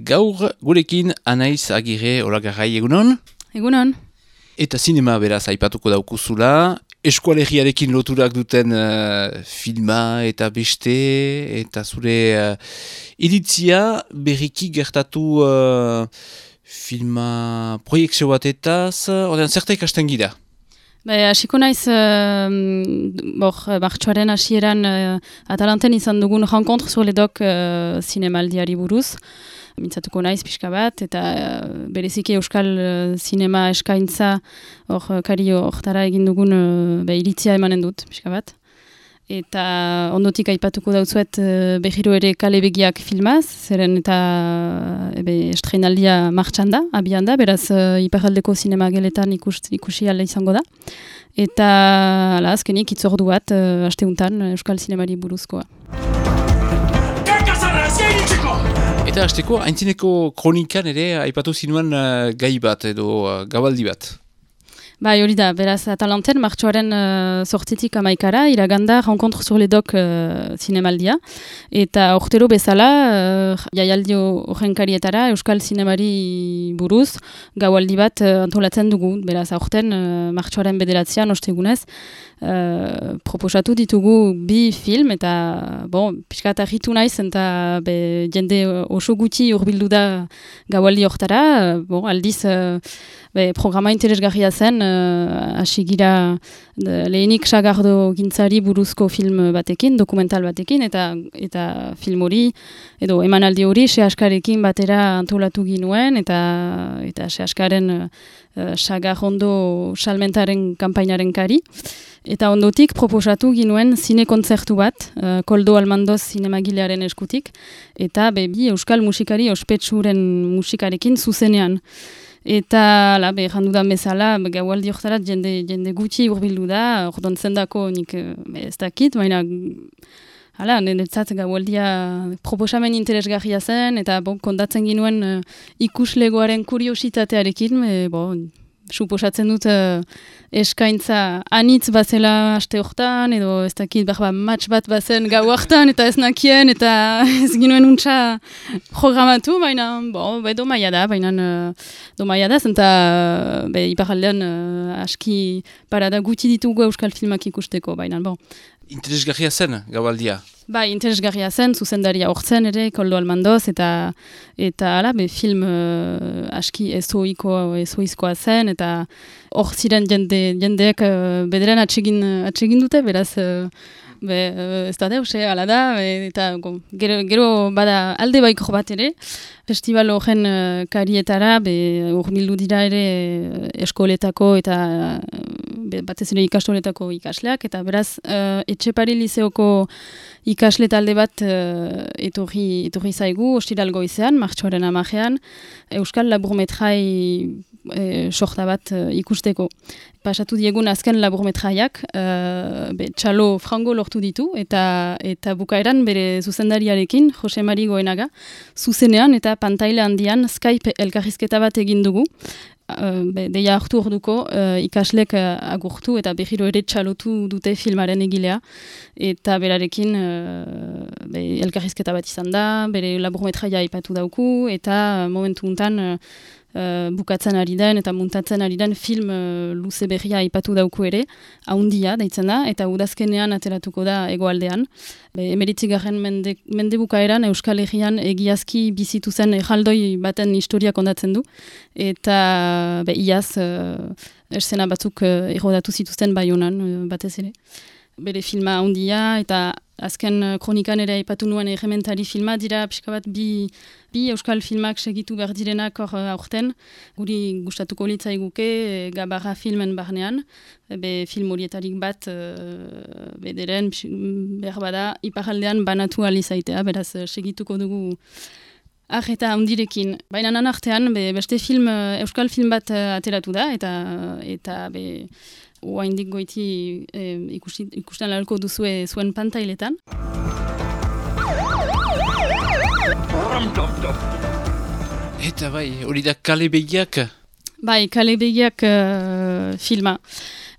Gaur gurekin Anaiz Agirre Olagarrai egunon? Egunon. Eta zinema beraz aipatuko daukuzula, eskualegiarekin loturak duten filma eta beste, eta zure iritzia berriki gertatu filma proiektzio batetaz, ordean zerta ikasten gira? Hasiko naiz, martxoaren hasieran Atalanten izan dugun rencontre sur les doc zinemaldiari buruz. Mintzatuko naiz pixka bat, eta bereziki euskal zinema eskaintza kario hortara egin dugun iritzia emanen dut pixka bat. Eta ondotik aipatuko dautzuet behiro ere Kale Begiak filmaz, zeren eta estreinaldia martxan da, abian da, beraz iparraldeko zinema geletan ikusi ala izango da. Eta azkenik itzordu bat asteuntan euskal zinemari buruzkoa. Eta hasteko, aintzineko kronikan ere aipatu zinuen gai bat edo gabaldi bat. Bai, hori da, beraz, Atalanten, martxoaren sortzitik amaikara, iraganda Rencontre sur les doc zinemaldia. Eta urtero bezala, jaialdi horren karietara, euskal zinemari buruz, gaualdi bat antolatzen dugu. Beraz, aurten, martxoaren bederatzean, ostegunez, proposatu ditugu bi film, eta, pixkat argitu naiz, eta jende oso gutxi urbildu da gaualdi hortara, aldiz, programa interesgarria zen, hasi gira lehenik Sagardo gintzari buruzko film batekin, dokumental batekin, eta film hori, edo emanaldi hori, Sehaskarekin batera antolatu ginuen, eta Sehaskaren Sagarrondo salmentaren kanpainaren kari. Eta ondotik proposatu ginuen zine kontzertu bat, Koldo Almandoz zinemagilearen eskutik, eta bi euskal musikari ospetsuren musikarekin zuzenean. Eta, jandudan bezala, gaualdi horretarat jende gutxi urbildu da, ordon zendako nik ez dakit, baina niretzat gaualdia proposamen interesgarria zen, eta kontatzen ginuen ikuslegoaren kuriositatearekin, suposatzen dut eskaintza anitz bazela aste hortan, edo ez dakit match bat bazen gau hortan, eta ez nakien, eta ez ginuen untsa programatu, baina domaia da, zenta iparaldean aski parada guti ditugu euskal filmak ikusteko, baina Interesgarria zen, gaualdia? Bai, interesgarria zen, zuzendaria hortzen ere, Koldo Almandoz, eta film aski ezoizkoa zen, eta hor ziren jendeek bederen atsegin dute, beraz, ez da deus, ala da, eta gero bada alde baikor bat ere, festival horren karietara, urbildu dira ere eskoletako eta batez ere ikastoletako ikasleak, eta beraz, Etxepare Lizeoko ikasle talde bat etorri zaigu, ostiral goizean, martxoaren 10ean, euskal laburmetrai sorta bat ikusteko. Pasatu diegun azken laburmetraiak, txalo frango lortu ditu, eta bukaeran bere zuzendariarekin, Jose Mari Goenaga, zuzenean eta pantaila handian Skype elkarrizketa bat egin dugu. Deia hartu orduko ikaslek agurtu eta behiro ere txalotu dute filmaren egilea, eta berarekin elkarrizketa bat izan da, bere laburmetraia aipatu dauku, eta momentu untan bukatzen ari den eta muntatzen ari den film luze berria aipatu dauku ere, haundia daitzen da, eta udazkenean ateratuko da hegoaldean. 19. mende bukaeran Euskal Herrian egiazki bizitu zen erraldoi baten historia kondatzen du, eta iaz eszena batzuk errodatu zituzten Baionan batez ere. Bere filma handia, eta azken kronikan ere aipatu nuen errementari filma dira pixka bat bi euskal filmak segitu behar direnak aurten. Guri gustatuko litzaiguke Gabarra filmen barnean, film horietarik bat bederen behar bada iparaldean banatu alizaitea, beraz segituko dugu eta handirekin. Baina nanartean beste euskal film bat ateratu da, eta oaindik goiti ikusten lalko duzue zuen pantailetan. Eta hori da Kale Begiak? Bai, Kale Begiak filma.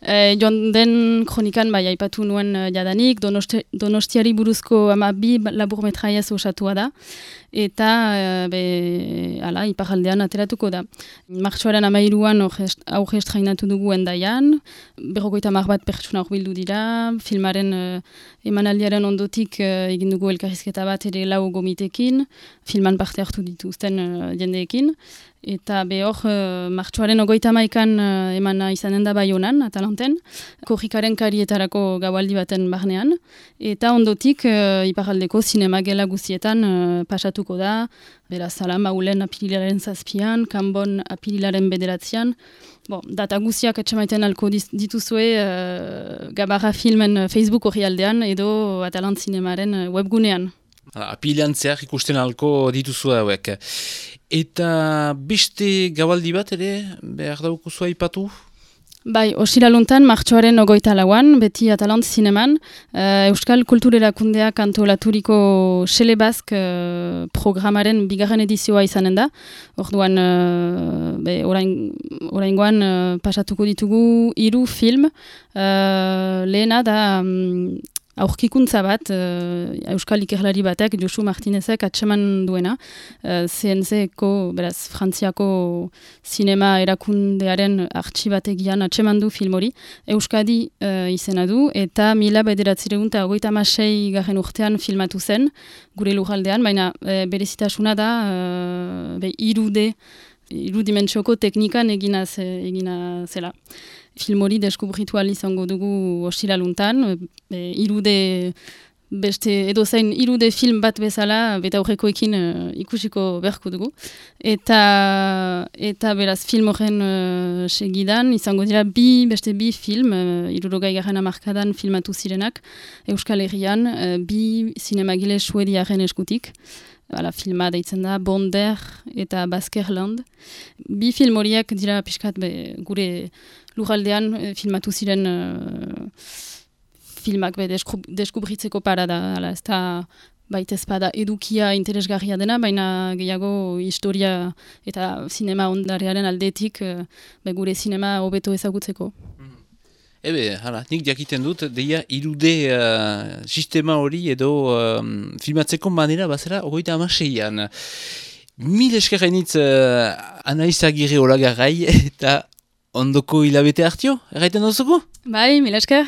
Joan den kronikan bai aipatu nuen jadanik, Donostiari buruzko 12 laburmetraiez osatua da, eta iparraldean ateratuko da. Martxoaren 13an auge estrainatu dugu Hendaian, 50 bat pertsona hurbildu dira, filmaren emanaldiaren ondotik egin dugu elkarrizketa bat ere 4 gomitekin, filman parte hartu dituzten jendeekin, eta hor martxoaren 31an emana izanen da Baionan, Atalanten, korrikaren karietarako gaualdi baten barnean, eta ondotik iparraldeko zinema gela guztietan pasatuko da, beraz, Maulen apirilaren 7an, Kanbon apirilaren 9an, data guztiak atxamaiten alko dituzue Gabarra Filmen Facebook orrialdean edo Atalant Zinemaren webgunean. Apilian zehar ikusten alko dituzu hauek. Eta beste gabaldi bat ere behar daukuzua ipatu? Bai, osiraluntan, martxoaren 24an, beti Atalant Zineman, Euskal Kulturerakundeak antolaturiko Xelebazk programaren 2. edizioa izanen da. Orduan, oraingoan pasatuko ditugu 3 film. Lehena da aurkikuntza bat, Euskal Ikerlari batek, Josu Martinezek atseman duena, CNC-ko, beraz, Frantziako zinema erakundearen artxibategian atseman du film hori, Euskadi izena du, eta 1956 garren urtean filmatu zen, gure lurraldean, baina berezitasuna da, 3 dimentsioko teknikan egina zela. Film hori deskubritu izango dugu ostiraluntan, 3D beste edozein 3D film bat bezala beta aurrekoekin ikusiko beharko dugu. Eta beraz film horren segidan izango dira beste bi film, 60garren hamarkadan filmatu zirenak Euskal Herrian, 2 zinemagile suediaren eskutik. Filma deitzen da Bonder eta Baskerland. 2 film horiek dira pixkat gure lurraldean filmatu ziren filmak deskubritzeko parada. Ez da baita ezpada edukia interesgarria dena, baina gehiago historia eta zinema ondarearen aldetik gure zinema hobeto ezagutzeko. Nik jakiten dut, deia 3D sistema hori edo filmatzeko manera bazera 36an. Mil eskerrenitz Anaiz Agirre Olagarrai eta ondoko hilabete hartio, erraiten duzuko? Bai, mil esker.